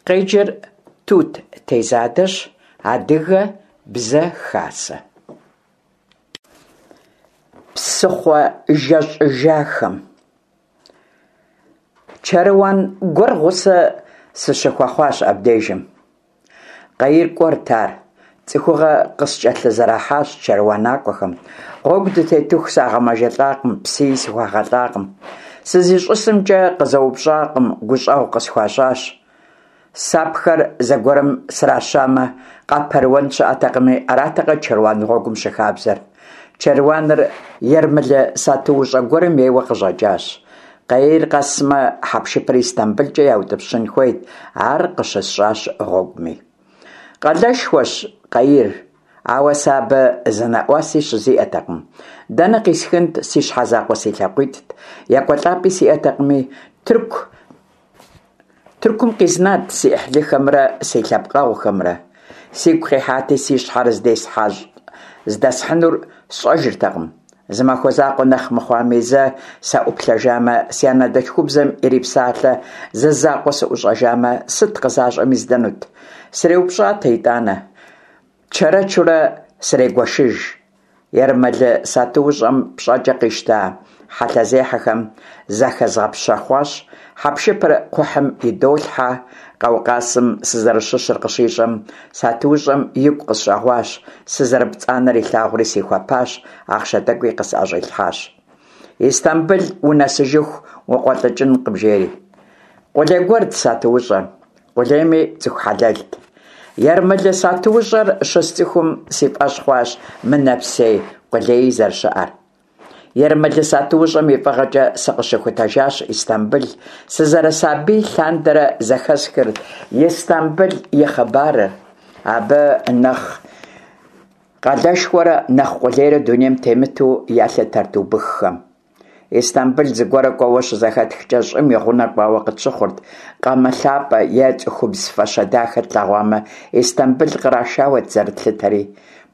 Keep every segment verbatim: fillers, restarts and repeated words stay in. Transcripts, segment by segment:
Къеджэр Тут Тезадэщ. Адыгэ Бзэ Хасэ. Псыхъуэ жэщӀыжахэм. Чэруан гуэр гъусэ сыщыхуэхъуащ абдежым. Къаир кӀуэрт ар. ЦӀыхугъэ къыскӀэлъызэрахьащ чэруанакӀуэхэм. Гъуэгу дытетыху сагъэмэжэлӀакъым, псыи сыхуагъэлӀакъым. СызищӀысымкӀэ къызэупщӀакъым, гущӀэгъу къысхуащӀащ. Сапхэр зэгуэрым сращамэ, къапэрыуэн щыӀэтэкъыми, аратэкъэ чэруан гъуэгум щыхабзэр? Чэруаныр ермэлы сатуущӀэ гуэрым ейуэ къыщӀэкӀащ. Къаир къэсмэ, хьэпшыпыр ИстамбылкӀэ яутӀыпщын хуейт, ар къыщысщӀащ гъуэгуми. Къалэшхуэщ Къаир, ауэ сэ абы зы нэӀуаси щызиӀэтэкъым. Дэнэ къисхынт, си щхьэ закъуэ си лъакъуитӀт, екӀуэлӀапӀи сиӀэтэкъыми, Тырку Тыркум къизнат си Ӏыхьлыхэмрэ си лъэпкъэгъухэмрэ. Сигу къихьати, си щхьэр здэсхьынур сщӀэжыртэкъым. Зы махуэ закъуэ нэхъ мыхъуами, зэ саӀуплъэжамэ, си анэдэлъхубзэм ирипсалъэ зы закъуэ сыӀущӀэжамэ, сыт къызащӀэми здэнут. СреупщӀатэ итӀанэ, чэрэчурэ срегуэшыж. Ермэлы сатуущӀэм пщӀэкӀэ къищта хьэлъэзехьэхэм захэзгъэпщэхъуащ, хьэпшыпыр кхъухьым идолъхьэ. Къаукъазым сызэрыщыщыр къыщищӀэм, сатуущӀэм игу къысщӀэгъуащ, сызэрыпцӀанэр илъагъури сихуэпащ, ахъшэ тӀэкӀуи къысӀэщӀилъхьащ. Истамбыл унэсыжыху укъуэлӀыкӀынкъым, жери. Къулей гуэрт сатуущӀэр, къулейми цӀыху хьэлэлт. Ермэлы сатуущӀэр щысцӀыхум си фӀэщ хъуащ мынэпсей къулеи зэрыщыӀэр. Ермэлы сатуущӀэм и фӀыгъэкӀэ сыкъыщыхутэжащ Истамбыл. Сызэрысабий лъандэрэ зэхэсхырт Истамбыл и хъыбарыр. Абы нэхъ къалэшхуэрэ нэхъ къулейрэ дунейм темыту ялъытэрт убыххэм. Истамбыл зыгуэр кӀуэуэ щызэхэтхкӀэ, щӀым и гъунэ кӀуауэ къытщыхъурт. Къамэ лъапӀэ е цӀыхубз фащэ дахэ тлъэгъуамэ, Истамбыл кърашауэт зэрытлъытэри.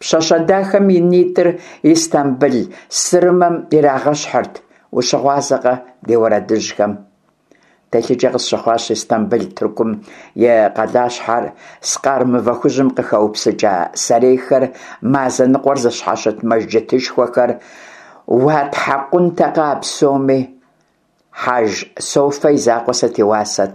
Пщащэ дахэм и нитӀыр Истамбыл сырымэм ирагъэщхьырт. Ущыгъуазэкъэ ди уэрэдыжьхэм? Телъыджэ къысщыхъуащ Истамбыл, Тыркум и къалащхьэр, скъар мывэ хужьым къыхэупсыкӀа сэрейхэр, мазэ ныкъуэр зыщхьэщыт мэжджытышхуэхэр. Уатхьэкъунтэкъэ а псоми? Хьэж-Софэ и закъуэ сыт и уасэт?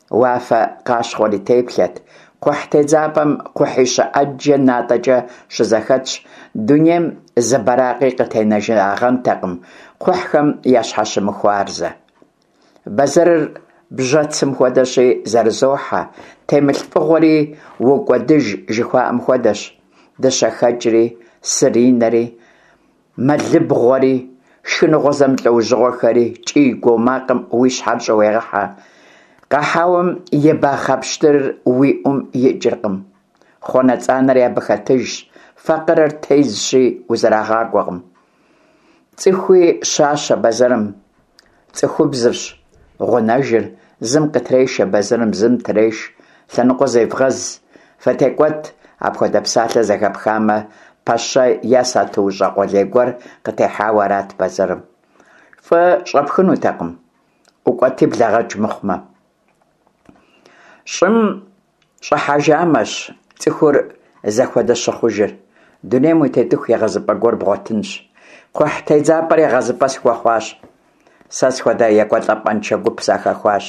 Уафэ къащхъуэр и теплъэт. Кхъухь тедзапӀэм кхъухьищэ Ӏэджэ натӀэкӀэ щызэхэтщ. Дунейм зы бэракъи къытенэжагъэнтэкъым, кхъухьхэм ящхьэщымыхуарзэ. Бэзэрыр бжьэцым хуэдэщи, зэрызохьэ, темылъ фӀыгъуэри укӀуэдыж жыхуаӀэм хуэдэщ. ДыщэхэкӀри, сыринэри, мэлыбгъуэри, шхыныгъуэ зэмылӀэужьыгъуэхэри, кӀий-гуо макъым уи щхьэр щӀыуегъэхьэ. Къэхьэуэм и бахъэ пщтырыр уи Ӏум икӀыркъым. ХъуанэцӀанэри абы хэтыжщ, факъырэр тезщи, узэрагъакӀуэкъым. ЦӀыхуи щащэ бэзэрым, цӀыхубзырщ гъунэжыр, зым къытрешэ бэзэрым, зым треш. Лъэныкъуэ зевгъэз, фытекӀуэт, апхуэдэ псалъэ зэхэпхамэ, пэщэ е сатуущӀэ къулей гуэр къытехьауэ арат бэзэрым. ФӀы щӀэпхынутэкъым, ӀукӀуэти блэгъэкӀ мыхъумэ. ЩӀым щӀыхьэжамэщ цӀыхур зэхуэдэ щыхъужыр. Дунейм утетыху егъэзыпӀэ гуэр бгъуэтынщ. Кхъухь тедзапӀэр егъэзыпӀэ схуэхъуащ. Сэ схуэдэ екӀуэлӀапӀэншэ гуп сахэхуащ.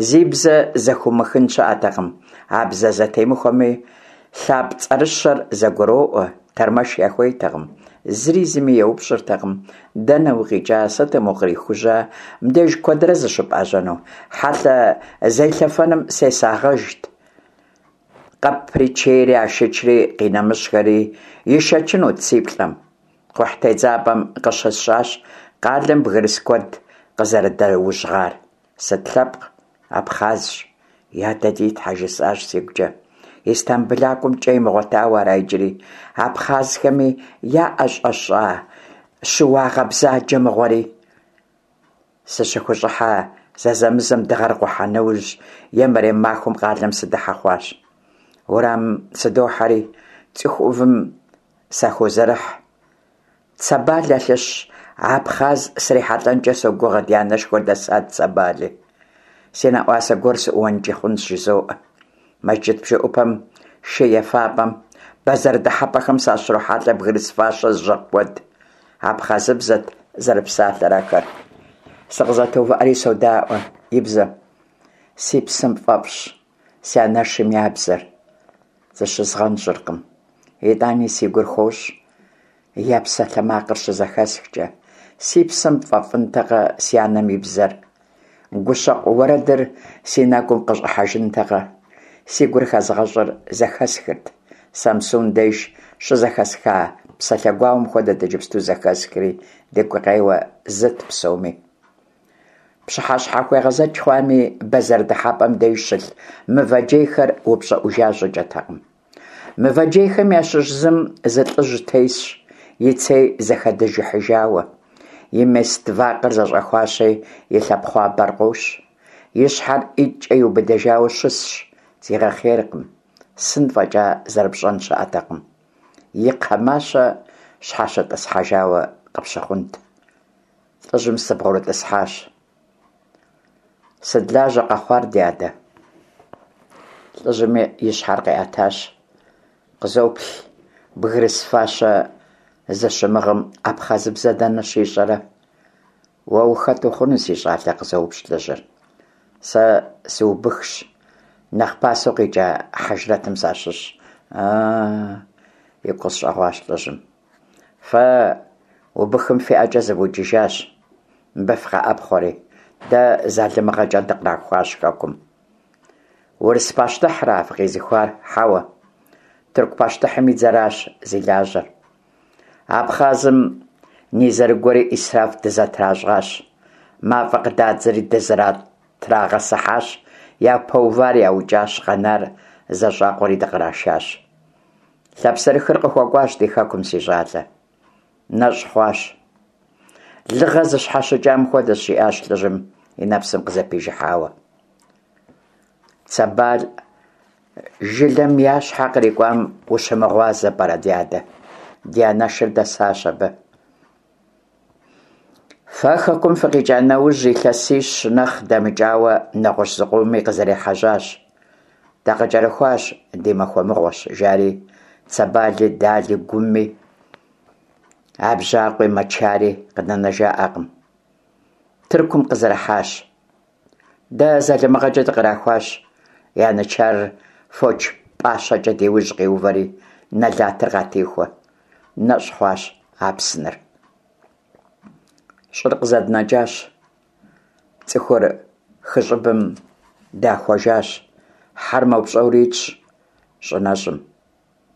Зи бзэ зэхыумыхын щыӀэтэкъым. А бзэ зэтемыхуэми лъапцӀэрыщэр зэгуроӀуэ, тэрмэш яхуейтэкъым. Зыри зыми еупщӀыртэкъым: дэнэ укъикӀа, сытым укърихужьа, мыбдеж куэдрэ зыщыпӀэжьэну? Хьэлъэ зелъэфэным сесагъэжт. Къэпри, чейри, ашычри, къинэмыщӀхэри ишэчынут си плӀэм. Кхъухь тедзапӀэм къыщысщӀащ къалэм бгырыс куэд къызэрыдэужьгъар. Сыт лъэпкъ? Абхъазщ. Я дэ ди тхьэ, жысӀащ сигукӀэ. ИстамбылакӀуэм кӀэ имыгъуэтауэ ара иджыри? Абхъазхэми яӀэщӀэщӀа щыуагъэ бзаджэ мыгъуэри? СыщыхущӀыхьэ зэзэмызэм дыгъэр къухьа нэужь е мэрем махуэм къалэм сыдыхьэ хъуащ. Уэрамым сыдохьэри цӀыху Ӏувым сахозэрыхь. Цэбалэ лъыщ абхъаз срихьэлӀэнкӀэ согугъэ, ди анэшхуэр дэсат Цэбали. Си нэӏуасэ гуэр сыӏууэнкӏи хъунщ, жызоӏэ. Мэжджыт бжэӏупэм, шей ефапӏэм, бэзэр дыхьэпӏэхэм сащрохьэлӏэ бгырыс фащэ зыщыгъ куэд. Абхъазыбзэт зэрыпсалъэр ахэр. Сыкъызэтоувыӏэри содаӏуэ и бзэм. Си псэм фӏэфӏщ си анэшым я бзэр, зыщызгъэнщӏыркъым. Итӏани си гур хощӏ, я псалъэмакъыр щызэхэсхкӏэ. Си псэм фӏэфӏынтэкъэ си анэм и бзэр? Гущэкъу уэрэдыр си нэгум къыщӏыхьэжынтэкъэ? Си гур хэзыгъэщӏыр зэхэсхырт. Самсун деж щызэхэсха псалъэ гуауэм хуэдэт иджыпсту зэхэсхри, ди гукъеуэр зыт псоми. Пщыхьэщхьэхуегъэзэкӏ хъуами, бэзэр дыхьэпӏэм деж щылъ мывэ джейхэр упщӏыӏужа щӏыкӏэтэкъым. Мывэ джейхэм ящыщ зым зы лӏыжь тесщ, и цей зэхэдыжыхьыжауэ. И мест вакъэр зэщӏэхуащи, и лъэпхъуамбэр къощ. И щхьэр ӏитӏкӏэ иубыдыжауэ щысщ, зигъэхъейркъым. Сын фӏэкӏа зэрыпщӏэн щыӏэтэкъым. И кхъэ мащэ щхьэщытӏысхьэжауэ къыпщыхъунт. Лӏыжьым сыбгъурытӏысхьащ. Сыт лажьэ къэхъуар, ди адэ? Лӏыжьми и щхьэр къиӏэтащ. Къызоплъ, бгырыс фащэ зыщымыгъым абхъазыбзэ дэнэ щищӏэрэ? Уэ ухэт ухъуну, си щӏалэ? – къызоупщӏ лӏыжьыр. Сэ сыубыхщ, нэхъ пасэу къикӏа хьэжрэтым сащыщщ. А-а, игу къысщӏэгъуащ лӏыжьым. Фэ убыхым фи ӏэкӏэ зывукӏыжащ, мыбы фыкъэӏэпхъуэри, дэ залымыгъэкӏэ дыкърахуащ хэкум. Урыс пащтыхьра фыкъизыхуар? Хьэуэ, тырку пащтыхьым и дзэращ зи лажьэр. Абхъазым нызэрыгуэри ӏисраф дызэтращӏащ. Мафӏэ къыдадзэри дызэтрагъэсыхьащ, япэувар яукӏащ, къэнар зэщӏакъуэри дыкърашащ. Лъапсэрыхыр къыхуэкӏуащ ди хэкум, си щӏалэ. Нэщӏ хъуащ. Лыгъэ зыщхьэщыкӏам хуэдэщ, жиӏащ лӏыжьым и нэпсым къызэпижыхьауэ. Цэбал жылэм я щхьэ кърикӏуам ущымыгъуазэ пӏэрэ, ди адэ? Ди анэшыр дэсащ абы. Фэ хэкум фыкъикӏа нэужь, илъэсищ нэхъ дэмыкӏауэ нэгъуэщӏ зыкъоми къызэрехьэжьащ. Дакъыкӏэрыхуащ, ди махуэ мыгъуэщ, жари Цэбали, Дали, Гуми, Абжьакъуи, Мэчари къыдэнэжаӏакъым. Тыркум къызэрыхьащ. Дэ залымыгъэкӏэ дыкърахуащ. Янычарыр фоч пӏащэкӏэ ди ужь къиувэри, нэлатыр къатехуэ. Нэщӏ хъуащ Апсыныр. Щӏыр къызэднэкӏащ. Цӏыхур хы щӏыбым дахуэжащ. Хьэр мэупщӏэури итщ щӏы нэщӏым.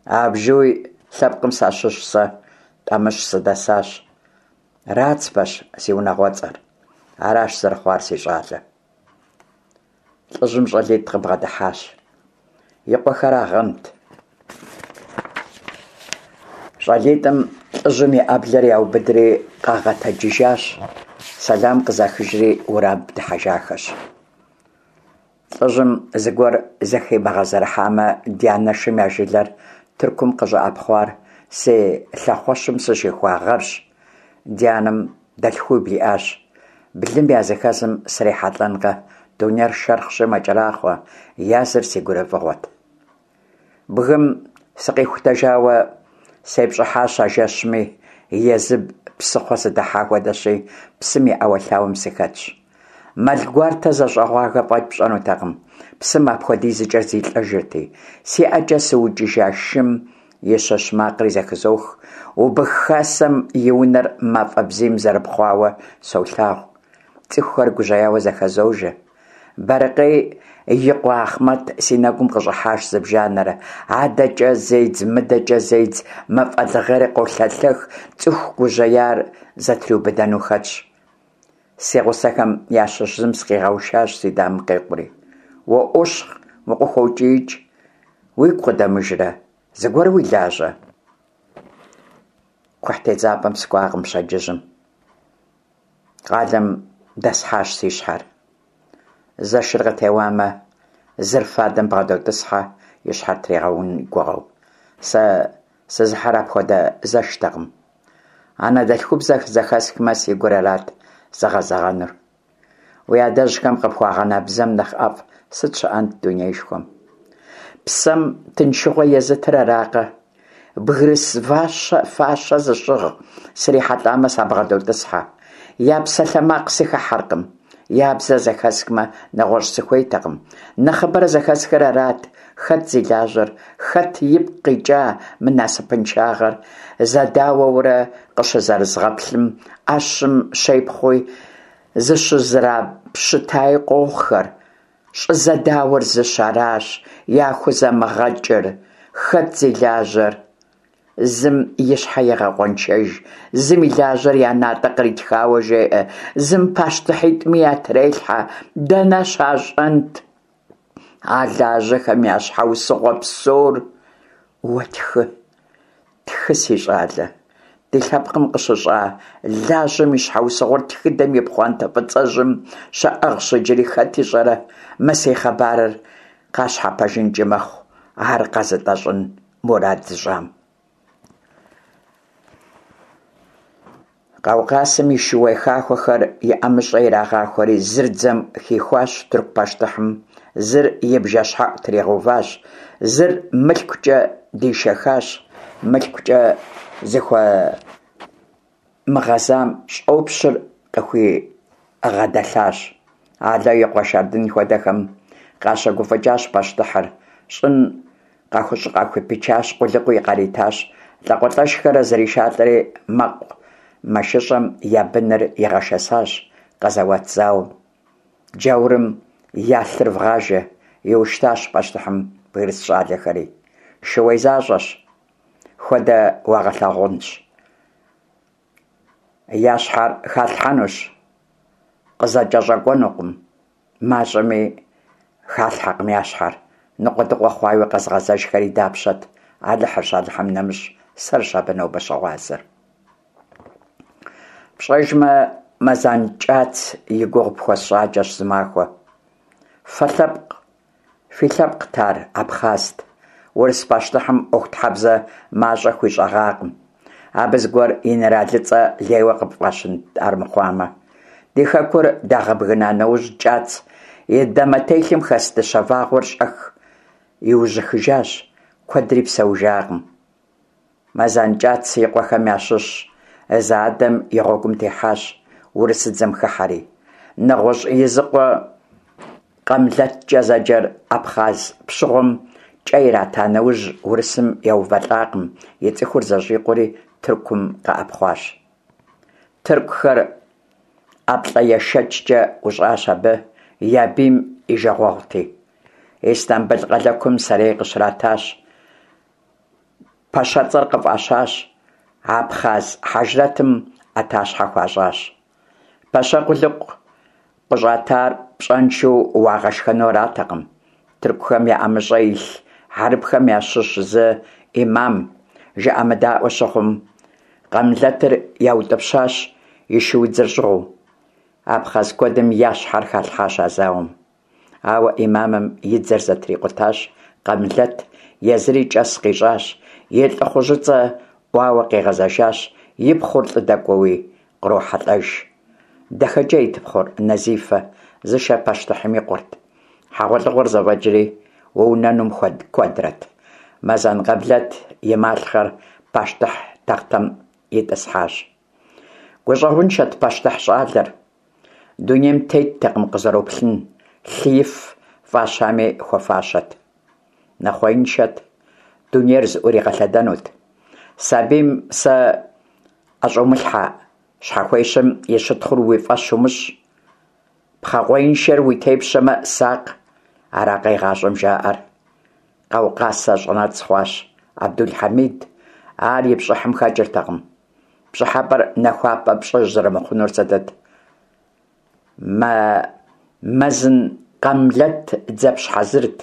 Абжьуй лъэпкъым сащыщ сэ, Тӏамыщ сыдэсащ. Рацбэщ си унагъуэцӏэр. Аращ зэрыхъуар, си щӏалэ. Лӏыжьым щӏалитӏ къыбгъэдыхьащ. И къуэхэрагъэнт. Щӏалитӏым лӏыжьым и ӏэблэр яубыдри къагъэтэджыжащ, сэлам къызахыжри уэрамым дыхьэжахэщ. Лӏыжьым зыгуэр зэхимыгъэзэрыхьамэ, ди анэшым я жылэр Тыркум къыщӏэӏэпхъуар си лъэхъуэщым сыщихуа гъэрщ. Ди анэм дэлъхуибл иӏащ. Блым языхэзым срихьэлӏэнкъэ, дунейр шэрхъщи мэкӏэрахъуэ, языр си гурыфӏыгъуэт. Бгым сыкъихутэжауэ сепщӏыхьащ а жэщми, езы псыхъуэ сыдыхьа хуэдэщи, псым и ӏэуэлъауэм сыхэтщ. Мэл гуартэ зэщӏэгъуагэ фӏэкӏ пщӏэнутэкъым, псым апхуэдизкӏэ зилӏэжырти. Си ӏэкӏэ сыукӏыжа шым и щыщ макъри зэхызох. Убых хасэм и унэр мафӏэ бзийм зэрыпхъуауэ солъагъу. Цӏыхухэр гужьеяуэ зэхэзожэ. Бэрыкъей и къуэ Ахъмэт си нэгум къыщӏыхьащ зыбжанэрэ. Адэкӏэ зедз, мыдэкӏэ зедз, мафӏэ лыгъейр къолъэлъэх, цӏыху гужьеяр зэтриубыдэну хэтщ. Си гъусэхэм ящыщ зым сыкъигъэушащ си дамэм къекъури. Уоӏуощхъ, укъыхокӏиикӏ. Уигу къыдэмыжрэ? Зыгуэр уи лажьэ? Кхъухь тедзапӏэм сыкӏуакъым пщэдджыжьым. Къалэм дэсхьащ си щхьэр. Зэшыр къытеуамэ, зыр фадэм бгъэдотӏысхьэ, и щхьэр тригъэун и гугъэу. Сэ сызыхьыр апхуэдэ зэштэкъым. Анэдэлъхубзэр зэхэсхмэ, си гур арат зыгъэзэгъэнур. Уи адэжьхэм къыпхуагъэна бзэм нэхъ ӀэфӀ сыт щыӀэнт дунеишхуэм? Псэм тыншыгъуэ езытыр аракъэ? Бгырыс фащэ зыщыгъ срихьэлӀамэ, сабгъэдотӀысхьэ, я псалъэмакъ сыхыхьэркъым, я бзэ зэхэсхмэ, нэгъуэщӀ сыхуейтэкъым. Нэхъыбэрэ зэхэсхыр арат: хэт зи лажьэр, хэт ипкъ къикӀа мы насыпыншагъэр? Зэдауэурэ къыщызэрызгъэплъым, Ӏэщым щепхъуи зыщызэрапщытаи къохъухэр. ЩӀызэдауэр зыщ, аращ яхузэмыгъэкӀыр: хэт зи лажьэр? Зым и щхьэ егъэкъуэншэж, зым и лажьэр я натӀэ къритхауэ жеӀэ, зым пащтыхьитӀми ятрелъхьэ. Дэнэ щащӀэнт а лажьэхэм я щхьэусыгъуэ псор? Уэ тхы, тхы, си щӀалэ, ди лъэпкъым къыщыщӀа лажьэм и щхьэусыгъуэр тхыдэм и пхъуантэ фӀыцӀэжьым щыӀыгъщ иджыри, хэт ищӀэрэ, мы си хъыбарыр къащхьэпэжынкӀи мэхъу ар къэзытӀэщӀын мурад зыщӀам. Къаукъазым и шууей хахуэхэр и ӀэмыщӀэ ирагъахуэри, зыр дзэм хихуащ тырку пащтыхьым, зыр и бжэщхьэӀу тригъэуващ, зыр мылъкукӀэ дишэхащ, мылъкукӀэ зыхуэмыгъэзам щӀопщыр къыхуигъэдэлъащ. Ало и къуэ Шардын хуэдэхэм къащыгуфӀыкӀащ пащтыхьыр, щӀын къахупичащ, къулыкъуи къаритащ, лӀакъуэлӀэшхэр зэришалӀэри мэкъумэшыщӀэм я быныр игъэшэсащ къэзэуат зауэм. Джаурым я лъыр вгъажэ, иуштащ пащтыхьым бгырыс щӀалэхэри. Шууей защӀэщ, хуэдэ уагъэлъагъунщ. Я щхьэр халъхьэнущ, къызэкӀэщӀэкӀуэнукъым. МащӀэми халъхьэкъым я щхьэр. Ныкъуэдыкъуэ хъуауи къэзыгъэзэжхэри дапщэт? Алыхьырщ, Алыхьым нэмыщӀ, сэрщ абы нобэ щыгъуазэр. ПщӀэжмэ, Мэзан кӀац и гугъу пхуэсщӀакӀэщ зымахуэ. Фэ лъэпкъ, фи лъэпкът ар, абхъазт. Урыс пащтыхьым Ӏуэхутхьэбзэ мащӀэ хуищӀэгъакъым. Абы зыгуэр инэралыцӀэ лейуэ къыпфӀащынт армыхъуамэ. Ди хэкур дагъэбгына нэужь, кӀац и дамэтелъым хэс дыщэ вагъуэр щӀэх иужьыхыжащ, куэдри псэужакъым. Мэзан кӀац и къуэхэм ящыщ зы адэм и гъуэгум техьащ, урысыдзэм хыхьэри. НэгъуэщӀ и зы къуэ КъамлэткӀэ зэджэр абхъаз пщыгъуэм кӀэ ирата нэужь, урысым еувэлӀакъым, и цӀыхур зэщӀикъуэри Тыркум къэӀэпхъуащ. Тыркухэр ӀэплӀэешэкӀкӀэ ӀущӀащ абы, я бийм и жагъуэгъути. Истамбыл къалэкум сэрей къыщратащ, пэщэцӀэр къыфӀащащ, абхъаз хьэжрэтым Ӏэтащхьэ хуащӀащ. Пэщэ къулыкъу къыщӀатар пщӀэншэу уагъэшхэну аратэкъым. Тыркухэм я ӀэмыщӀэ илъ хьэрыпхэм ящыщ зы Ӏимам жыӀэмыдаӀуэ щыхъум, Къамлэтыр яутӀыпщащ и шуудзэр щӀыгъуу. Абхъаз куэдым я щхьэр халъхьащ а зауэм. Ауэ Ӏимамым и дзэр зэтрикъутащ Къамлэт, езыри кӀэс къищӀащ, и лӀыхъужьыцӀэ Ӏуауэ къигъэзэжащ, и пхъур лӀы дэкӀуэуи кърохьэлӀэж. ДахэкӀейт пхъур, Назифэ, зышэр пащтыхьым и къуэрт. ХьэгъуэлӀыгъуэр зэфӀэкӀри, уунэнум куэдрэт. Мэзан Къамлэт и малъхъэр пащтыхь тахътэм итӀысхьащ. ГущӀэгъуншэт пащтыхь щӀалэр. Дунейм теттэкъым къызэроплъын, лъыиф фӀащами хуэфащэт. Нэхъуеиншэт, дунейр зыӀуригъэлъэдэнут. Сабийм сэ ӀэщӀумылъхьэ, щхьэхуещэм и щытхъур уи фӀэщ умыщӀ. Пхъэкъуеиншэр уи тепщэмэ, сакъ, аракъэ игъащӀэм жаӀэр. Къаукъаз щӀэнэцӀ хъуащ Абдул-Хьэмид, ар и пщӀыхьым хэкӀыртэкъым. ПщӀыхьэпӀэр нахуапӀэ пщӀы зэрымыхъунур сытыт? Мэзан Къамлэт дзэпщ хьэзырт,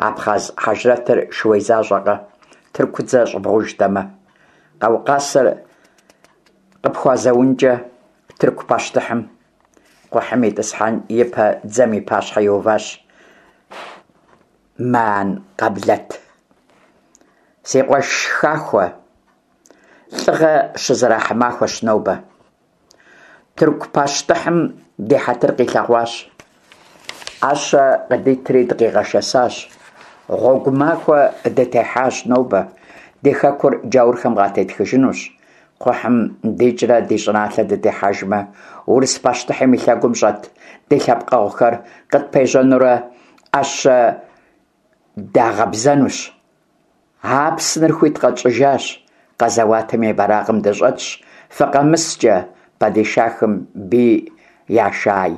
абхъаз хьэжрэтыр шууей защӀэкъэ, тыркудзэ щӀыбгъужтэмэ. Къаукъазыр къыпхуазэункӀэ тырку пащтыхьым. Кхъухьым итӀысхьэн ипэ дзэм и пащхьэ иуващ Мэан Къамлэт. Си къуэш хахуэ, лӀыгъэ щызэрахьэ махуэщ нобэ. Тырку пащтыхьым ди хьэтыр къилъэгъуащ. Ӏэщэ къыдитри дыкъигъэшэсащ. Гъуэгу махуэ дытехьащ нобэ, ди хэкур джаурхэм къатетхыжынущ. Кхъухьым дикӏрэ ди щӏыналъэ дыдыхьэжмэ, урыс пащтыхьым и лъэгум щӏэт ди лъэпкъэгъухэр къытпежьэнурэ ӏэщэ дагъэбзэнущ. Апсыныр хуит къэтщӏыжащ, къэзэуатым и бэракъым дыщӏэтщ, фыкъэмыскӏэ, падишахым бий яшай.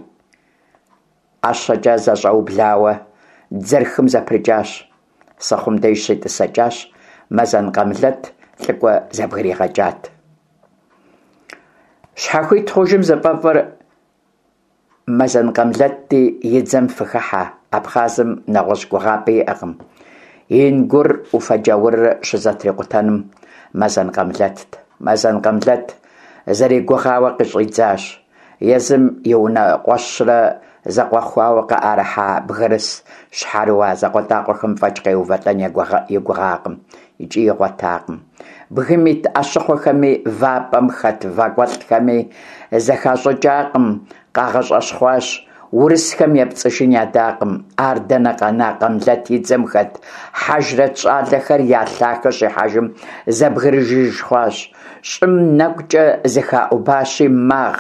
ӀэщэкӀэ зэщӀэублауэ дзэр хым зэпрыкӀащ. Сыхъум деж щетӀысэкӀащ, Мэзан Къамлэт лӀыкӀуэ зэбгригъэкӀат. Щхьэхуит хъужым зыфӀэфӀыр Мэзан Къамлэтти, и дзэм фыхыхьэ, Абхъазым нэгъуэщӀ гугъапӀи иӀэкъым. Ингур Ӏуфэ джаурыр щызэтрикъутэнум Мэзан Къамлэтт. Мэзан Къамлэт зэригугъауэ къыщӀидзащ. Езым и унэкъуэщрэ зэкъуэхуауэ къыӀэрыхьа бгырыс щхьэрыуа закъуэтӀакъуэхэм фӀэкӀ къеувэлӀэн и гугъакъым икӀи игъуэтакъым. Бгым ит Ӏэщыхъуэхэми, вапӀэм хэт вакӀуэлӀхэми зэхащӀыкӀакъым, къагъэщӀэщхъуащ, урысхэм епцӀыжын ядакъым. Ар дэнэ къэна, Къамлэт и дзэм хэт хьэжрэт щӀалэхэр я лъахэ щихьэжым зэбгрыжыж хъуащ. ЩӀым нэкӀукӀэ зыхаӀубащи, магъ: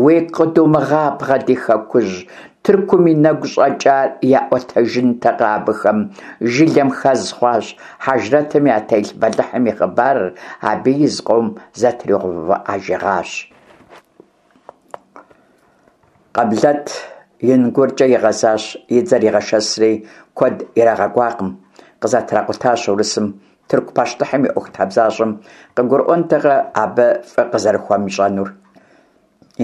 «Уигу къыдумыгъабгъэ, ди хэкужь!» Тыркум и нэгу щӀэкӀар яӀуэтэжынтэкъэ абыхэм, жылэм хэз хъуащ хьэжрэтым ятелъ бэлыхьым и хъыбарыр, абыи зыкъом зэтригъэувыӀэжыгъащ. Къамлэт ИнгуркӀэ игъэзащ, и дзэр игъэшэсри, куэд ирагъэкӀуакъым, къызэтракъутащ урысым. Тырку пащтыхьым и ӀуэхутхьэбзащӀэм къыгурыӀуэнтэкъэ абы фӀы къызэрыхуэмыщӀэнур?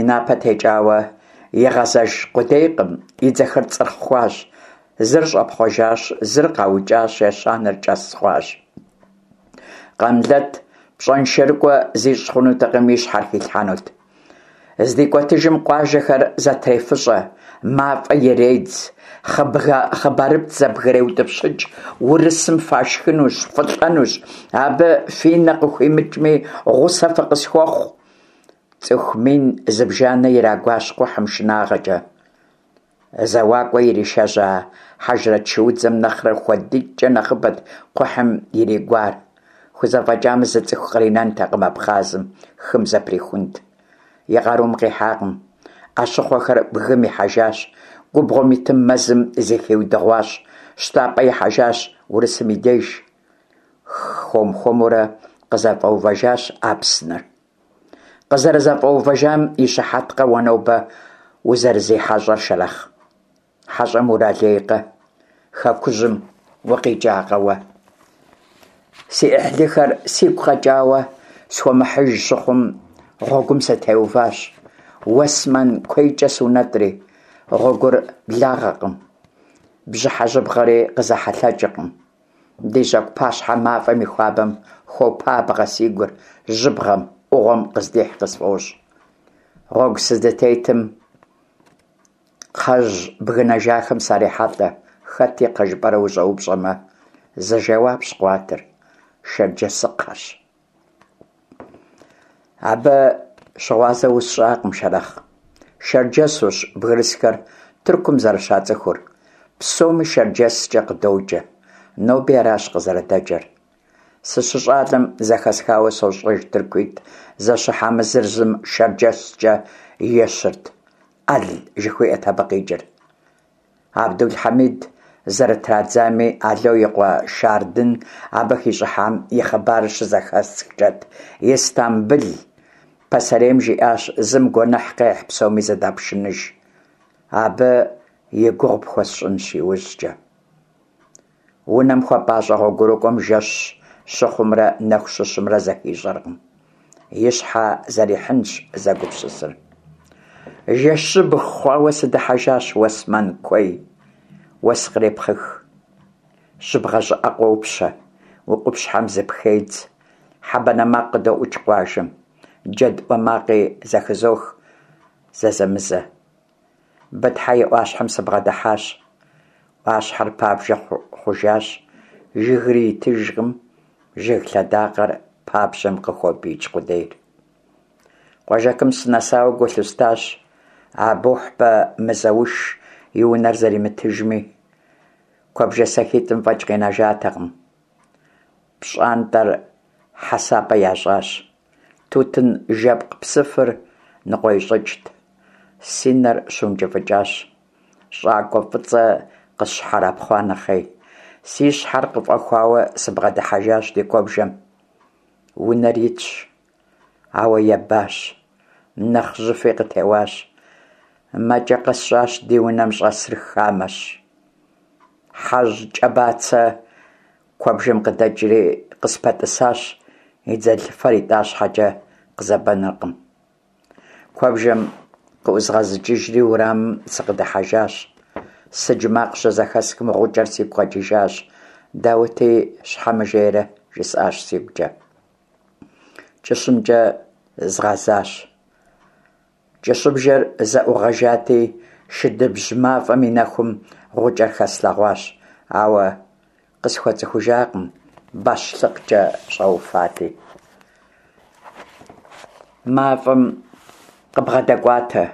И напэ текӀауэ игъэзэж къудейкъым, и дзэхэр цӀырхъ хъуащ: зыр щӀэпхъуэжащ, зыр къаукӀащ, ещанэр кӀэс хъуащ. Къамлэт пщӀэншэрыкӀуэ зищӀ хъунутэкъыми, и щхьэр хилъхьэнут. ЗдикӀуэтыжым къуажэхэр зэтрефыщӀэ, мафӀэ иредз, хъыбарыпцӀ зэбгреутӀыпщыкӀ: «Урысым фашхынущ, фылӀэнущ, абы фи нэ къыхуимыкӀми, гъусэ фыкъысхуэхъу». ЦӀыху мин зыбжанэ ирагуащ кхъухьым шынагъэкӀэ. ЗэуакӀуэ иришэжьа хьэжрэт шуудзэм нэхърэ хуэдитӀкӀэ нэхъыбэт кхъухьым иригуар. ХузэфӀэкӀамэ, зы цӀыху къринэнтэкъым Абхъазым, хым зэприхунт. И къарум къихьакъым. Ӏэщыхъуэхэр бгым ихьэжащ, губгъуэм итым мэзым зыхиудыгъуащ, щтапӀэ ихьэжащ урысым и деж. Хуэм-хуэмурэ къызэфӀэувэжащ Апсныр. КъызэрызэфӀэувэжам и щыхьэткъэ уэ нобэ узэрызихьэщӀэр, Шэрэхъ? ХьэщӀэм уралейкъэ? Хэкужьым укъикӀакъэ уэ? Си Ӏыхьлыхэр сигу къэкӀауэ схуэмыхьыж щыхъум, гъуэгум сытеуващ, Уэсмэн куейкӀэ сунэтӀри. Гъуэгур благъэкъым, бжьыхьэ жьыбгъэри къызэхьэлъэкӀыркъым. Ди жьэгу пащхьэ мафӀэм и хуабэм хуопабгъэ си гур, жьыбгъэм, Ӏугъуэм къыздихь къысфӀощӀ. Гъуэгу сыздытетым кхъэжь бгынэжахэм сарехьэлӀэ. Хэт и кхъэ жыпӀэрэ ущӀэупщӀэмэ, зы жэуапщ къыуатыр: шэрджэсыкхъэщ. Абы щыгъуазэ усщӀакъым, Шэрэхъ. Шэрджэсущ бгырысхэр Тыркум зэрыщацӀыхур. Псоми шэрджэскӀэ къыдоджэ. Ноби аращ къызэрыдэджэр. СыщыщӀалэм зэхэсхауэ сощӀэж тыркуитӀ зэщыхьамэ, зыр зым шэрджэскӀэ ещырт. Ӏэл жыхуиӀэт абы къикӀыр. Абдул-Хьэмид зэрытрадзами, Ало и къуэ Шардын абы хищӀыхьам и хъыбарыр щызэхэсхкӀэт Истамбыл. Пасэрейм жиӀащ: «Зым гуэныхь къехь, псоми зэдапшыныж». Абы и гугъу пхуэсщӀынщ иужькӀэ. Унэм хуэпӀащӀэ гъуэгурыкӀуэм жэщ щыхъумрэ нэху щыщымрэ зэхищӀэркъым. И щхьэ зэрихьынщ зэгупсысыр. Жэщыбг хъуауэ сыдыхьэжащ Уэсмэн куей. Уэс кърепхъых. Жьыбгъэ щӀыӀэ къопщэ, уи къупщхьэм зыпхедз. Хьэ банэ макъ къыдоӀукӀ къуажэм. Джэд Ӏуэ макъи зэхызох зэзэмызэ. Бытхьэ и Ӏуащхьэм сыбгъэдыхьащ. Ӏуащхьэр пабжьэ хъужащ, жыгри итыжкъым, жыг лъэдакъэр пабжьэм къыхопӀиикӀ къудейр. Къуажэкум сынэсауэ гу лъыстащ Абухьбэ Мызэуш и унэр зэримытыжми. Куэбжэ сэхитӀым фӀэкӀ къинэжатэкъым. ПщӀантӀэр хьэсапӀэ ящӀащ. Тутын жэпкъ псыфыр ныкъуэищӀыкӀт. Си нэр щыункӀыфӀыкӀащ, щӀакӀуэ фӀыцӀэ къысщхьэрапхъуа нэхъей. Си щхьэр къыфӀэхуауэ сыбгъэдыхьэжащ ди куэбжэм. Унэр итщ, ауэ ебащ, нэхъ жьыфи къытеуащ. МэкӀэ къэсщӀащ ди унэм щӀэсыр хамэщ. Хьэжь кӀэ бацэ куэбжэм къыдэкӀри къыспэтӀысащ, и дзэлыфэр итӀа щхьэкӀэ къызэбэныркъым. Куэбжэм къыӀузгъэзыкӀыжри уэрамым сыкъыдыхьэжащ. Сыдж макъ щызэхэсхым гъукӀэр сигу къэкӀыжащ. Даути щхьэ мыжейрэ, жысӀащ сигукӀэ. КӀыщымкӀэ згъэзащ. КӀыщыбжэр зэӀугъэжати, шыдыбжь мафӀэм и нэхум гъукӀэр хэслъэгъуащ, ауэ къысхуэцӀыхужакъым, бащлъыкъкӀэ щӀэуфати. МафӀэм къыбгъэдэкӀуатэ.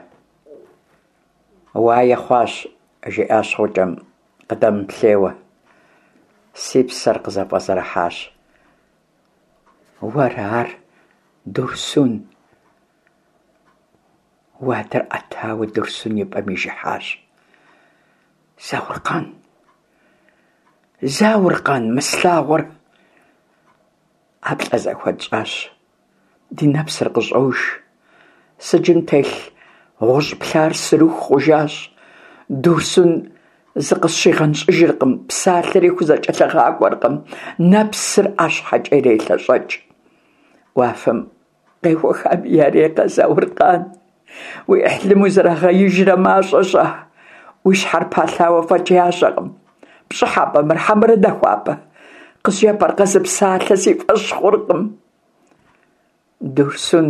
Уае хъуащ, жиӀащ гъукӀэм, къыдэмыплъейуэ. Си псэр къызэфӀэзэрыхьащ. Уэра ар, Дурсун? Уадэр Ӏэтауэ Дурсун и пӀэм ижыхьащ. Зауркъан, Зауркъан, мы слъагъур! ӀэплӀэ зэхуэтщӀащ, ди нэпсыр къыщӀож. Сыджым телъ гъущӀ плъар сырыху хъужащ. Дурсун зыкъысщигъэнщӀыжыркъым, псалъэри хузэкӀэлъыгъакӀуэркъым, нэпсыр ӀэщхьэкӀэ ирелъэщӀэкӀ. Уафэм къехуэхами ярейкъэ, Зауркъан? Уи Ӏыхьлым узэрагъеижрэ мащӀэ щӀа? Уи щхьэр палъауэ фӀэкӀ ящӀэкъым. ПщӀыхьэпӀэ мыр хьэмэрэ нахуапӀэ? КъызжепӀэркъэ зы псалъэ, си фӀэщ хъуркъым. Дурсун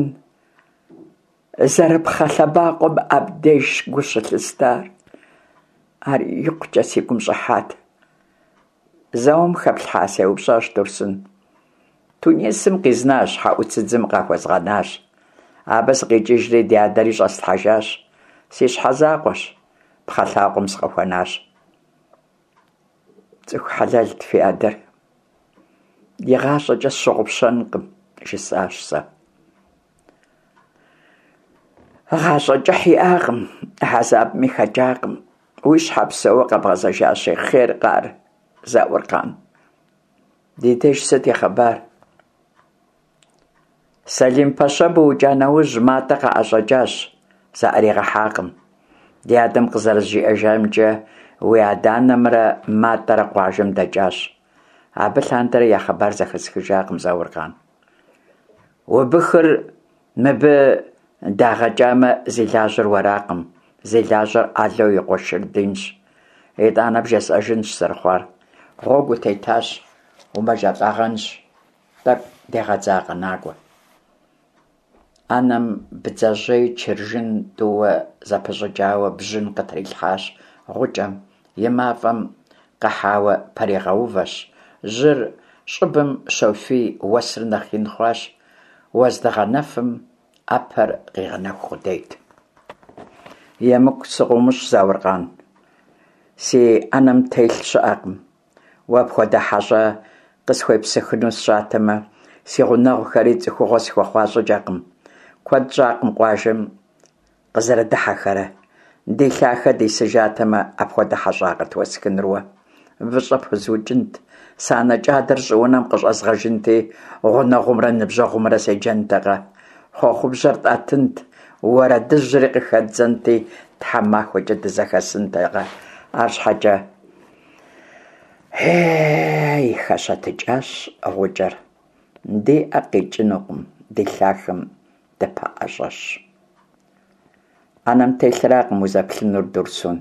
зэрыпхъэ лъэбакъуэм абдежщ гу щылъыстар. Ар икъукӀэ си гум щӀыхьат. Зауэм хэплъхьа? сеупщӀащ Дурсун. Тунисым къизнащ, хьэӀуцыдзым къахуэзгъэнащ. Абы сыкъикӀыжри ди адэри щӀэслъхьэжащ. Си щхьэ закъуэщ, пхъэ лъакъуэм сыкъыхуэнащ. ЦӀыху хьэлэлт фи адэр. ИгъащӀэкӀэ сщыгъупщэнкъым, жысӀащ сэ. ГъащӀэ кӀыхь иӀакъым, хьэзабми хэкӀакъым. Уи щхьэ псэууэ къэбгъэзэжащи, хъеркъэ ар, Зауркъан? Ди деж сыт и хъыбар? Сэлим-пэщэ быукӀа нэужь, МатӀэ къаӀэщӀэкӀащ, заӀэригъэхьакъым. Ди адэм къызэрызжиӀэжамкӀэ, уи адэ-анэмрэ МатӀэрэ къуажэм дэкӀащ. Абы лъандэрэ я хъыбар зэхэсхыжакъым, Зауркъан. Убыхыр мыбы дагъэкӀамэ, зи лажьэр уэракъым, зи лажьэр Ало и къуэ Шырдинщ. ИтӀанэ бжесӀэжынщ зэрыхъуар. Гъуэгу утетащ, умэжэлӀагъэнщ, тӀэкӀу дегъэдзакъэ, накӀуэ. Ӏэнэм бдзэжьей чыржын тӀууэ зэпыщӀыкӀауэ бжьын къытрилъхьащ гъукӀэм, и мафӀэм къыхьауэ пэригъэувэщ. Жьыр щӀыбым щофий, уэсыр нэхъ ин хъуащ, уэздыгъэнэфым Ӏэпэр къигъэнэху къудейт. ЕмыкӀу сыкъыумыщӀ, Зауркъан, си Ӏэнэм телъ щыӀэкъым. Уэ пхуэдэ хьэщӀэ къысхуепсыхыну сщӀатэмэ, си гъунэгъухэри цӀыхугъэ схуэхъуа щӀыкӀэкъым. Куэд щӀакъым къуажэм къызэрыдыхьэхэрэ. Ди лъахэ дисыжатэмэ, апхуэдэ хьэщӀагъэт уэсхынур уэ. ВыщӀэ пхуэзукӀынт, санэ кӀадэр щӀыунэм къыщӀэзгъэжынти, гъунэгъумрэ ныбжьэгъумрэ седжэнтэкъэ. Хъуэхъубжьэр тӀэтынт, уэрэдыжьри къыхэддзэнти, тхьэмахуэкӀэ дызэхэсынтэкъэ. АрщхьэкӀэ, ей, хэщэтыкӀащ гъукӀэр, ди Ӏэ къикӀынукъым, ди лъахэм дыпэӀэщӀэщ. Ӏэнэм телъыракъым узэплъынур, Дурсун.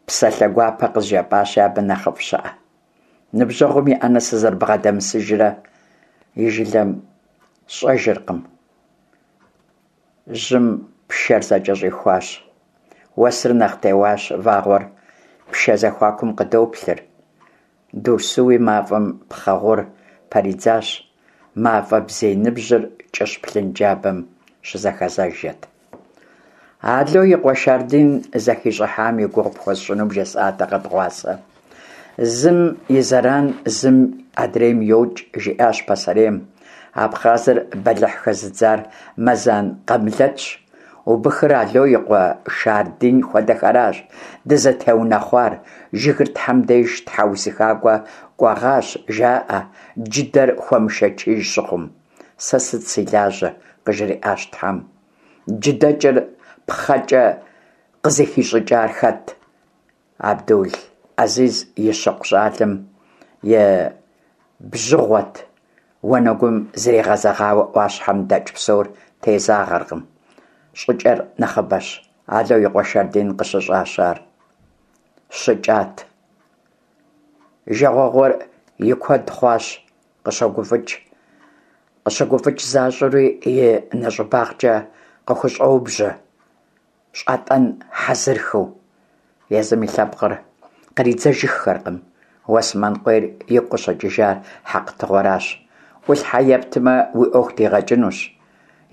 Псалъэ гуапэ къызжепӀащи, абы нэхъыфӀ щыӀэ? Ныбжьэгъум и Ӏэнэ сызэрыбгъэдэмысыжрэ и жылэм сщӀэжыркъым. Жьым пшэр зэкӀэщӀихуащ. Уэсыр нэхъ теуащ, вагъуэр пшэ зэхуакум къыдоплъыр. Дурсуи мафӀэм пхъэ гъур пэридзащ, мафӀэ бзий ныбжьыр кӀыщ блынджабэм щызэхэзэжэт. Ало и къуэ Шардын зэхищӀыхьам и гугъу пхуэсщӀыну бжесӀатэкъэ дыгъуасэ? Зым и зэран зым адрейм йокӀ, жиӀащ пасэрейм. Абхъазыр бэлыхь хэзыдзар Мэзан Къамлэтщ. Убыхыр Ало и къуэ Шардын хуэдэхэращ дызытеунэхъуар. Жыгыр тхьэм деж тхьэусыхакӀуэ кӀуэгъащ, жаӀэ, джыдэр хуэмышэчыж щыхъум. Сэ сыт си лажьэ? къыжриӀащ тхьэм. ДжыдэкӀыр пхъэкӀэ къызыхищӀыкӀар хэт? Абдул Азиз и щыкъу щӀалэм и бжьыгъуэт уанэгум зригъэзэгъауэ Ӏуащхьэм дэкӀ псор тезагъэркъым. ЩӀыкӀэр нэхъыбэщ. Ало и къуэ Шардын къыщыщӀащ ар. ЩыкӀат. Жагъуэгъур и куэд хъуащ, къыщогуфӀыкӀ. КъыщыгуфӀыкӀ защӀэури и нэщӀыбагъкӀэ къыхущӀоубжьэ, щӀатӀэн хьэзырхэу. Езым и лъэпкъыр къридзэжыххэркъым. Уэсмэн къуейр игу къыщыкӀыжар хьэкътыгъуэращ. Ӏулъхьэ ептмэ, уи Ӏуэху дигъэкӀынущ,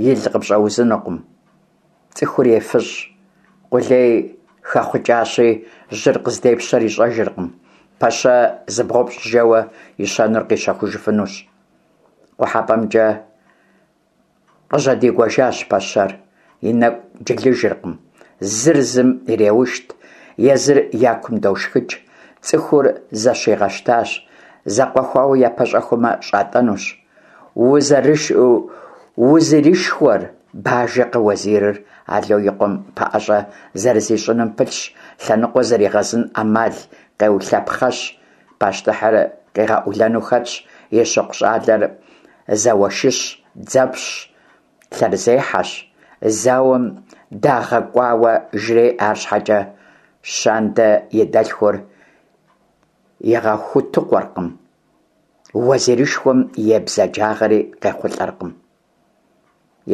ил къыпщӀэузынукъым. ЦӀыхур ефыщӀ. Къулей хэхъукӀащи, жьыр къыздепщэр ищӀэжыркъым. Пэщэ зыбгъупщӀ жэуэ ищэнур къищэхужыфынущ. КъухьэпӀэмкӀэ къыжьэдигуэжащ пэщэр, и нэкӀу джылыжыркъым. Зыр зым иреушт, езыр я кум дошхыкӀ. ЦӀыхур зэщигъэщтащ, зэкъуэхуауэ япэщӀэхуэмэ, щӀатӀэнущ. Узэрышхуэр бажэкъэ уэзирыр Ало и къуэм пэӀэщӀэ зэрызищӀыным пылъщ, лъэныкъуэ зэригъэзын Ӏэмал къеулъэпхъэщ. Пащтыхьыр къигъэӀулэну хэтщ, и щыкъу щӀалэр зауэшыщ, дзэпщщ, лъэрызехьэщ. Зауэм дагъэкӀуауэ жреӀэ, арщхьэкӀэ Щандэ и дэлъхур игъэхутыкъуэркъым, уэзирышхуэм и бзаджагъэри къехъулӀэркъым.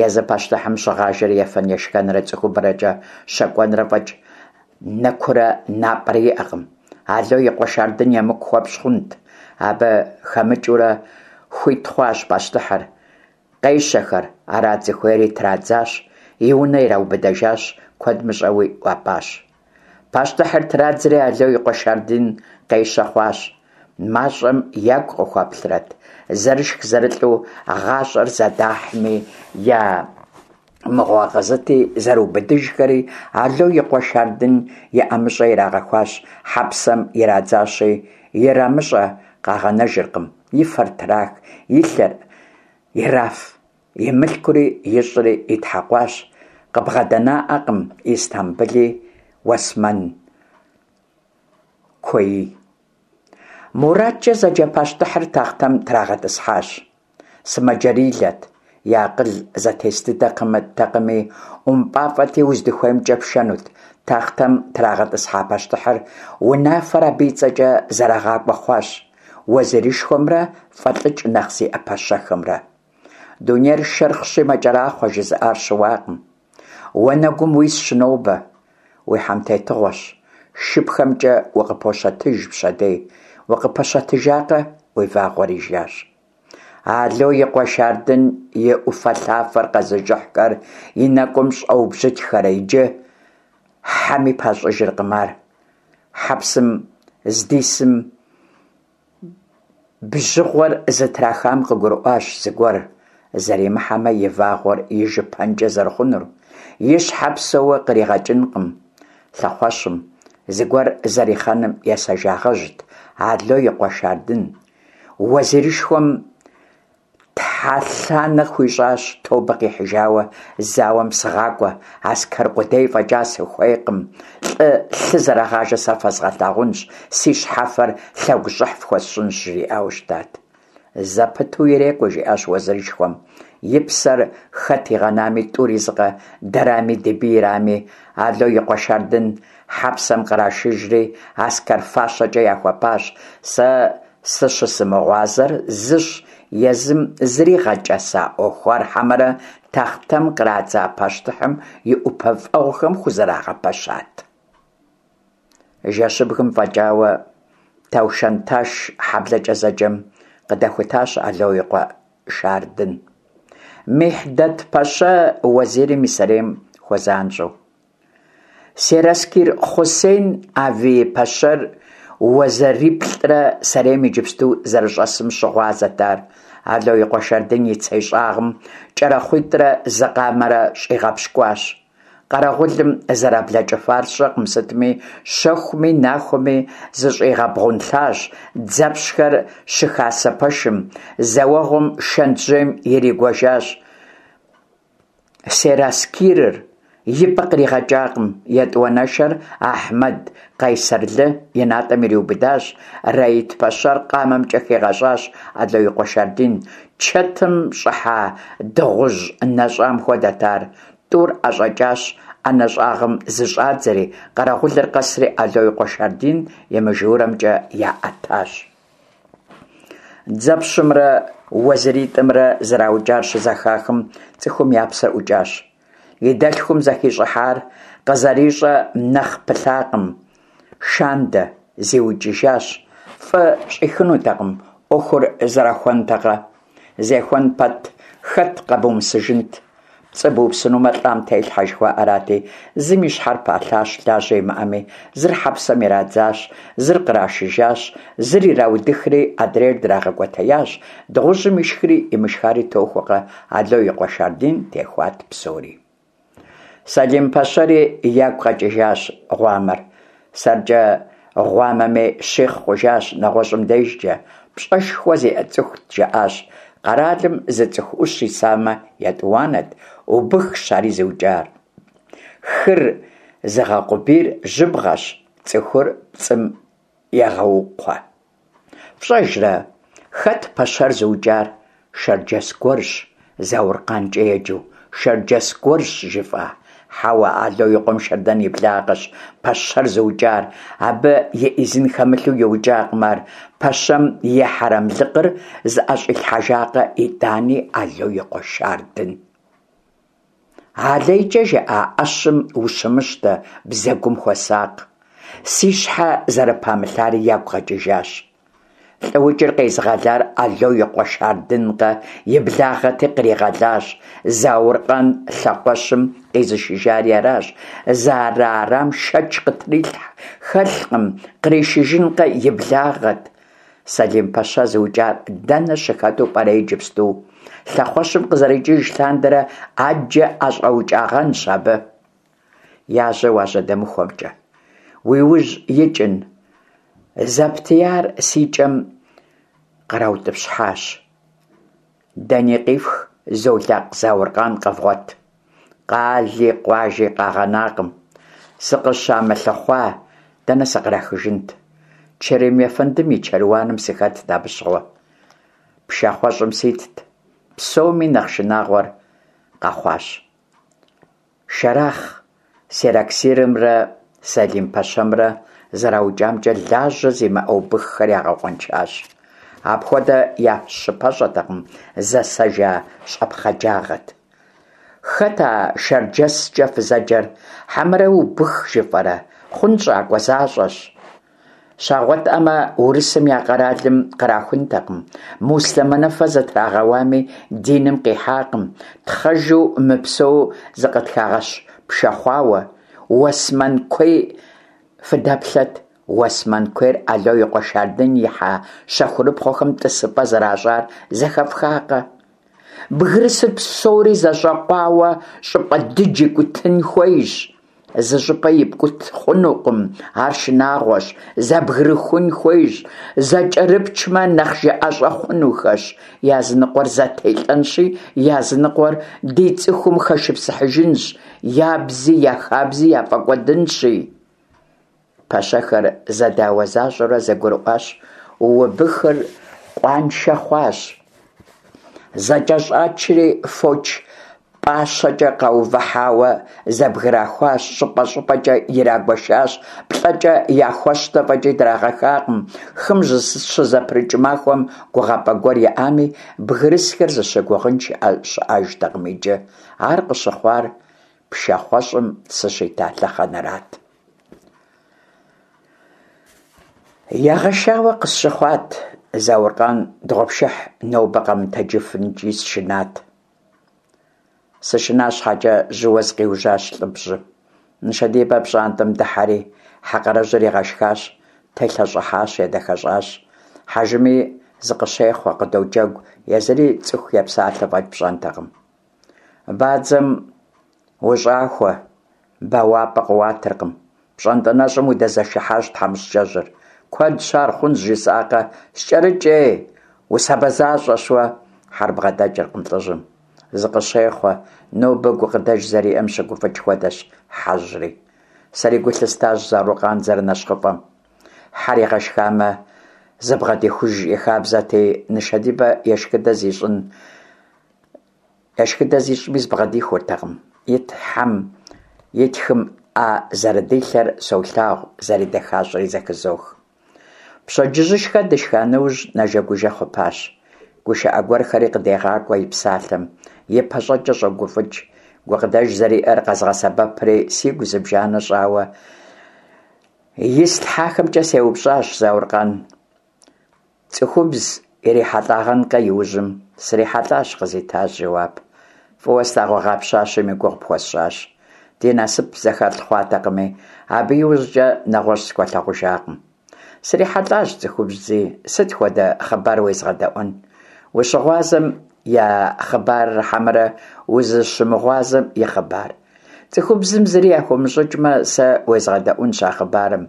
Езы пащтыхьым щыгъажэр ефэн-ешхэнрэ цӀыхубэкӀэ щэкӀуэнрэ фӀэкӀ нэкурэ напӀэрэ иӀэкъым. Ало и къуэ Шардын емыкӀу хуэпщӀ хъунт. Абы хэмыкӀыурэ хуит хъуащ пащтыхьыр. Къещэхэр, арат зыхуейри, традзащ, и унэ ираубыдэжащ, куэд мыщӀэуи ӀуапӀащ. Пащтыхьыр традзри Ало и къуэ Шардын къещэ хъуащ. МащӀэм ягу къыхуэплърэт, зэрышх-зэрылӀэу гъащӀэр зэдахьми, я мыгъуагъэ зыти, зэрыубыдыжхэри, Ало и къуэ Шардын и ӀэмыщӀэ ирагъэхуащ, хьэпсэм ирадзащи, ирамыщӀэ къагъэнэжыркъым, и фэр трах, и лъыр ираф, и мылъкури ищӀри итхьэкъуащ, къыбгъэдэнаӀакъым Истамбыли Уэсмэн куеи. МурадкӀэ зэджэ пащтыхьыр тахътэм трагъэтӀысхьащ. Сымаджэрилэт, и акъыл зэтес дыдэтэкъыми, ӀумпӀафӀэти, уздыхуеймкӀэ пшэнут. Тахътэм трагъэтӀысхьа пащтыхьыр унафэр абы и цӀэкӀэ зэрагъакӀуэ хъуащ уэзирышхуэмрэ фӀэлӀыкӀ нэхъ зиӀэ пэщэхэмрэ. Дунейр шэрхъщи мэкӀэрахъуэ, жызыӀар щыуакъым. Уанэгум уисщ нобэ, уи хьэмтетыгъуэщ, шыпхэмкӀэ укъыпощэтыж пщэдей, укъыпэщэтыжакъэ – уи вагъуэр ижащ. Ало и къуэ Шардын и Ӏуфэлъафэр къэзыжыхьхэр и нэкӀум щӀэубжьытхэрэ иджы, хьэми пащӀыжыркъым ар. Хьэпсым здисым бжьыгъуэр зытрахам къыгурыӀуащ зыгуэр зэримыхьэмэ, и вагъуэр ижыпэнкӀэ зэрыхъунур. И щхьэ псэууэ къригъэкӀынкъым лъэхъуэщым. Зыгуэр зэрихъэным есэжагъэжьт Ало и къуэ Шардын. Уэзирышхуэм тхьэлъанэ хуищӀащ, тобэ къихьыжауэ зауэм сыгъакӀуэ, аскэр къудей фӀэкӀа сыхуейкъым, лӀы лъы зэрагъажэ сэ фэзгъэлъагъунщ, си щхьэфэр лъэгущӀыхь фхуэсщӀынщ, жриӀауэ щытат. Зэпыту ирекӀуэ, жиӀащ уэзирышхуэм. И псэр хэт игъэнами, тӀури зыкъэ, дэрами ди бийрами. Ало и къуэ Шардын хьэпсэм кърашыжри аскэр фащэкӀэ яхуэпащ. Сэ сыщымыгъуазэр зыщ: езым зригъэкӀэса Ӏуэху ар хьэмэрэ тахътэм кърадза пащтыхьым и ӀупэфӀэгъухэм хузэрагъэпэщат? Жэщыбгым фӀэкӀауэ Таушэнташ хьэблэкӀэ зэджэм къыдэхутащ Ало и къуэ Шардын. Михьдэт-пэщэ уэзирым и сэрейм хуэзанщӏэу. Сераскир Хъусен Авии-пэщэр уэзэриплӏрэ сэрейм иджыпсту зэрыщӏэсым щыгъуазэт ар. Ало и къуэ Шардын и цей щӏагъым кӏэрахъуитӏрэ зы къамэрэ щӏигъэпщкӏуащ. Къэрэгъулым зэраблэкӏыфар сщӏэкъым сытми, щэхуми нахуэми зыщӏигъэбгъунлъащ дзэпщхэр щыхасэ пэшым, зэ уэгъуэм шэнтжьейм иригуэжащ сераскирыр, и пӏэ къригъэкӏакъым. Етӏуанэшэр Ахьмэд Къайсэрлы и натӏэм ириубыдащ. Рэит-пэщэр къамэмкӏэ хигъэщӏащ Ало и къуэ Шардын, чэтым щӏыхьа дыгъужь нэщӏам хуэдэт ар. Тӏур ӏэщӏэкӏащ, ӏэнэ щӏагъым зыщӏадзэри, къэрэгъулыр къэсри Ало и къуэ Шардын и мыжурэмкӏэ яӏэтащ. Дзэпщымрэ уэзиритӏымрэ зэраукӏар щызэхахым, цӏыхум я псэр ӏукӏащ. И дэлъхум зэхищӏыхьар къызэрищӏэ нэхъ пылъакъым Шандэ, зиукӏыжащ. Фӏы щӏихынутэкъым, ӏуэхур зэрахуэнтэкъэ? Зехуэн пэт, хэт къэбумысыжынт? Пцӏы бупсынумэ, лӏам телъхьэ, жыхуаӏэрати, зым и щхьэр палъащ, лажьэ имыӏэми, зыр хьэпсэм ирадзащ, зыр кърашыжащ, зыр ираудыхри, адрейр драгъэкӏуэтеящ. Дыгъужьым ишхри имышхари тохуэкъэ, Ало и къуэ Шардын техуат псори. Сэлим-пэщэри ягу къэкӏыжащ гъуамэр. Сэркӏэ гъуамэми, щихъ хъужащ нэгъуэщӏым дежкӏэ. Пщӏэшхуэ зиӏэ цӏыхут, жаӏащ. Къэралым зы цӏыху ӏущ исамэ, етӏуанэт, убыхщ ари зыукӏар. Хыр зыгъэкъубийр жьыбгъэщ, цӏыхур пцӏым егъэукхъуэ. ФщӀэжрэ, хэт пэщэр зыукӏар? Шэрджэс гуэрщ, Зауркъанкӏэ еджэу. Шэрджэс гуэрщ, жыфӏа? Хьэуэ, Ало и къуэм Шардын и благъэщ пэщэр зыукӏар. Абы и ӏизын хэмылъу иукӏакъым ар. Пэщэм и хьэрэмлыкъыр зыӏэщӏилъхьэжакъэ итӏани Ало и къуэ Шардын? Алейкӏэ жаӏа ӏэщым ущымыщтэ, бзэгум хуэсакъ. Си щхьэ зэрыпамылъари ягу къэкӏыжащ. ЛӏыукӀыр къезыгъэлар Ало и къуэ Шардынкъэ, и благъэти къригъэлащ. Зауркъан лъэхъуэщым къизышыжари аращ. Зэрыарам шэч хэлъкъым, къришыжынкъэ, и благъэт. Сэлим-пэщэ зыукӏар дэнэ щыхэту пӏэрэ иджыпсту? Лъэхъуэщым къызэрикӏыж лъандэрэ ӏэджэ ӏэщӏэукӏагъэнщ абы. Я жьэ уажьэдэмыхуэмкӏэ, уи ужь икӏын, зэптияр си кӏэм къраутӏыпщхьащ. Дэни къифх, Золакъ Зауркъан къэвгъуэт. Къали къуажи къагъэнакъым. Сыкъыщамылъыхъуа дэнэ сыкърахыжынт? Чэрим ефэндым и чэруаным сыхэтт абы щыгъуэ. Пшахъуэщӏым ситт. Псоми нэхъ шынагъуэр къэхъуащ. Шэрахъ сераскирымрэ Сэлим-пэщэмрэ зэраукӏамкӏэ лажьэ зимыӏэ убыххэр ягъэкъуэншащ. Апхуэдэ я щыпэщӏэтэкъым, зэсэжа щӏэпхъаджагъэт. Хэт а шэрджэскӏэ фызэджэр? Хьэмэрэ убых жыфӏэрэ? ХъунщӀакӀуэ защӏэщ. Щагъуэтӏамэ, урысым я къэралым кърахунтэкъым. Муслъымэныфэ зытрагъэуами, диным къихьакъым. Тхъэжу мыпсэу зыкъытхагъэпшэхъуауэ. Уэсмэн куей фыдэплъэт. Уэсмэн куейр Ало и къуэ Шардын и хьэ щэхурыпхъуэхэм тӏысыпӏэ зэращӏар зэхэфхакъэ? Бгырысыр псори зэщӏэкъуауэ щӏыпӏэ дыдж икӏутын хуейщ. Зы щӏыпӏэ ипкӏут хъунукъым, ар шынагъуэщ, зэбгрыхун хуейщ, зэкӏэрыпчмэ, нэхъ жыӏэщӏэ хъунухэщ. Языныкъуэр зэтелӏэнщи, языныкъуэр ди цӏыхум хэшыпсыхьыжынщ, я бзи я хабзи яфӏэкӏуэдынщи. Пэщэхэр зэдауэ защӏэурэ зэгурыӏуащ, убыхыр къуаншэ хъуащ. ЗэкӀэщӀачри, фоч пӏащэкӀэ къаувыхьауэ зэбграхуащ, щӀыпӀэ-щӀыпӀэкӀэ ирагуэшащ, плӀэкӀэ яхуэщтэ фӀэкӀи драгъэхакъым. Хым щызэпрыкӏ махуэм гугъапӀэ гуэр иӀами, бгырысхэр зыщыгугъын щыӀэжтэкъым иджы. Ар къыщыхъуар пшахъуэщӀым сыщита лъэхъэнэрат. Ягъэшауэ къысщыхъуат Зауркъан дыгъуэпшыхь, нобэ къэмытэджыфынкӀи сышынат. Сышына щхьэкӀэ, жьыуэ зыкъиужьащ лӀы-бжьым. Нышэдибэ пщӀантӀэм дыхьэри, хьэ къарэжьыр игъэшхащ, телъэщӀыхьащ, едэхэщӀащ. Хьэжыми зыкъыщехъуэ, къыдоджэгу, езыри цӀыху епсалъэ фӀэкӀ пщӀэнтэкъым. Бадзэм ущӀахуэ, бэуапӀэ къыуатыркъым. ПщӀантӀэ нэщӀым удэзэшыхьащ, тхьэмыщкӀэжьыр. Куэдщ ар, хъунщ жысӀакъэ, скӀэрыкӀ, ей, усабэ защӀэщ уэ. Хьэр бгъэдэкӀыркъым лӀыжьым, зыкъыщехъуэ, нобэ гукъыдэж зэриӀэм щыгуфӀыкӀ хуэдэщ хьэжьри. Сэри гу лъыстащ Зауркъан зэрынэщхъыфӀэм. Хьэр игъэшхамэ, зыбгъэдихуж и хабзэти, нышэдибэ ешхыдэ зищӀын ешхыдэ зищӀми зыбгъэдихуртэкъым. И тхьэм и тхым Ӏэ зэрыдилъэр солъагъу, зэредэхащӀэри зэхызох. Пщэдджыжьышхэ дышха нэужь, нэжэгужэ хъупащ. ГушыӀэ гуэрхэри къыдегъакӀуэ и псалъэм, и пащӀэкӀэ щӀогуфӀыкӀ. Гукъыдэж зэриӀэр къэзгъэсэбэпри, сигу зыбжанэ щӀауэ ислъхьахэмкӀэ сеупщӀащ Зауркъан. ЦӀыхубз ирихьэлӀагъэнкъэ иужьым? СрихьэлӀащ, къызитащ жэуап. ФӀыуэ слъагъугъа пщащэм и гугъу пхуэсщӀащ. Ди насып зэхэлъ хъуатэкъыми, абы иужькӀэ нэгъуэщӀ схуэлъагъужакъым. СрихьэлӀащ цӀыхубзи, сыт хуэдэ хъыбар уезгъэдэӀуэн? Ущыгъуазэм я хъыбарыр хьэмэрэ узыщымыгъуазэм и хъыбар? ЦӀыхубзым зыри яхыумыщӀыкӀмэ, сэ уезгъэдэӀуэнщ а хъыбарым.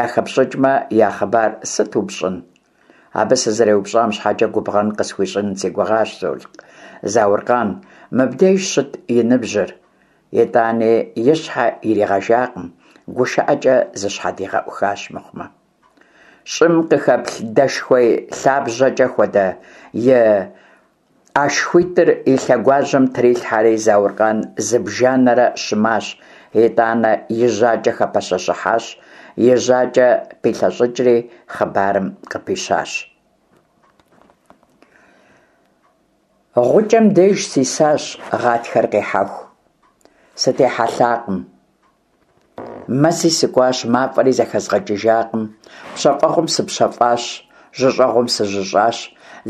ЯхэпщӀыкӀмэ, я хъыбар сыту пщӀын? Абы сызэреупщӀам щхьэкӀэ губгъэн къысхуищӀын си гугъащ Зауркъан, мыбдеж щыт и ныбжьыр. ИтӀани и щхьэ иригъэжакъым, гушыӀэкӀэ зыщхьэдигъэӀухащ мыхъумэ. ЩӀым къыхэплъ дэшхуей лъабжьэкӀэ хуэдэ и ӀэшхуитӀыр и лъэгуажьэм трилъхьэри, Зауркъан зыбжанэрэ щымащ, итӀанэ и жьакӀэ хэпэщэщыхьащ, и жьакӀэ пилъэщӀыкӀри, хъыбарым къыпищащ. ГъукӀэм деж сисащ гъатхэр къихьэху. Сытехьэлъакъым. Мэзи сыкӀуащ, мафӀэри зэхэзгъэкӀыжакъым. ПщэфӀэгъуэм сыпщэфӀащ, жьыщӀэгъуэм сыжьыщӀащ.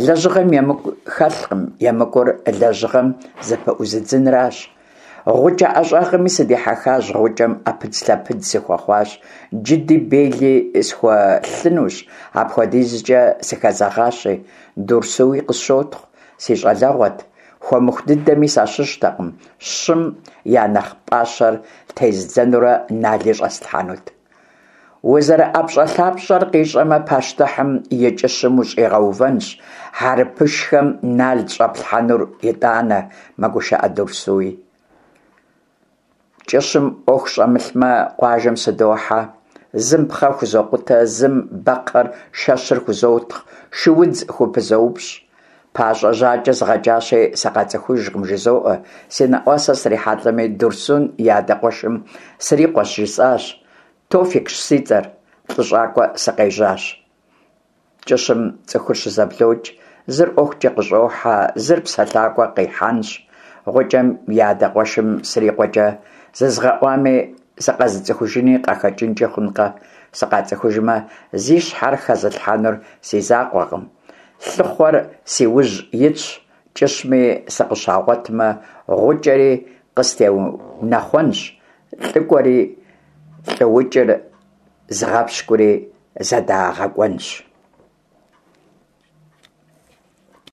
Лэжьыгъэм емыкӀу хэлъкъым, емыкӀур лэжьыгъэм зыпыӀузыдзынращ. ГъукӀэ ӀэщӀагъэми сыдихьэхащ, гъукӀэм Ӏэпыдзлъэпыдз сыхуэхъуащ, джыди бели схуэлъынущ, апхуэдизкӀэ сыхэзэгъащи. Дурсуи къысщотхъу. Си щӀалэгъуэт, хуэмыху дыдэми сащыщтэкъым, щым я нэхъ пӀащэр тездзэнурэ нали щӀэслъхьэнут. УзэрыӀэпщӀэлъапщӀэр къищӀэмэ, пащтыхьым и кӀыщым ущӀигъэувэнщ, хьэрыпышхэм нал щӀэплъхьэнур итӀанэ, мэгушыӀэ Дурсуи. КӀыщым Ӏуэху щӀэмылъмэ, къуажэм сыдохьэ, зым пхъэ хузокъутэ, зым бэкхъыр, шэщыр хузотхъ, шыудз хупызоупщӀ. ПащӀэ-жьакӀэ згъэкӀащи, сыкъацӀыхужкъым, жызоӀэ, си нэӀуасэ срихьэлӀэми, Дурсун и адэ къуэшым срикъуэщ, жысӀащ. Тофикщ си цӀэр, лӀыщӀакӀуэ сыкъежьащ. КӀыщым цӀыхур щызэблокӀ, зыр ӀуэхукӀэ къыщӀохьэ, зыр псэлъакӀуэ къихьэнщ. ГъукӀэм и адэ къуэшым срикъуэкӀэ зызгъэӀуами, сыкъэзыцӀыхужыни къахэкӀынкӀи хъункъэ? СыкъацӀыхужмэ, зи щхьэр хэзылъхьэнур си закъуэкъым. Лъыхъуэр си ужь итщ, кӀыщми сыкъыщагъуэтмэ, гъукӀэри къыстеунэхъуэнщ, лӀыкӀуэри лӀыукӀыр зыгъэпщкӀури зэдагъэкӀуэнщ.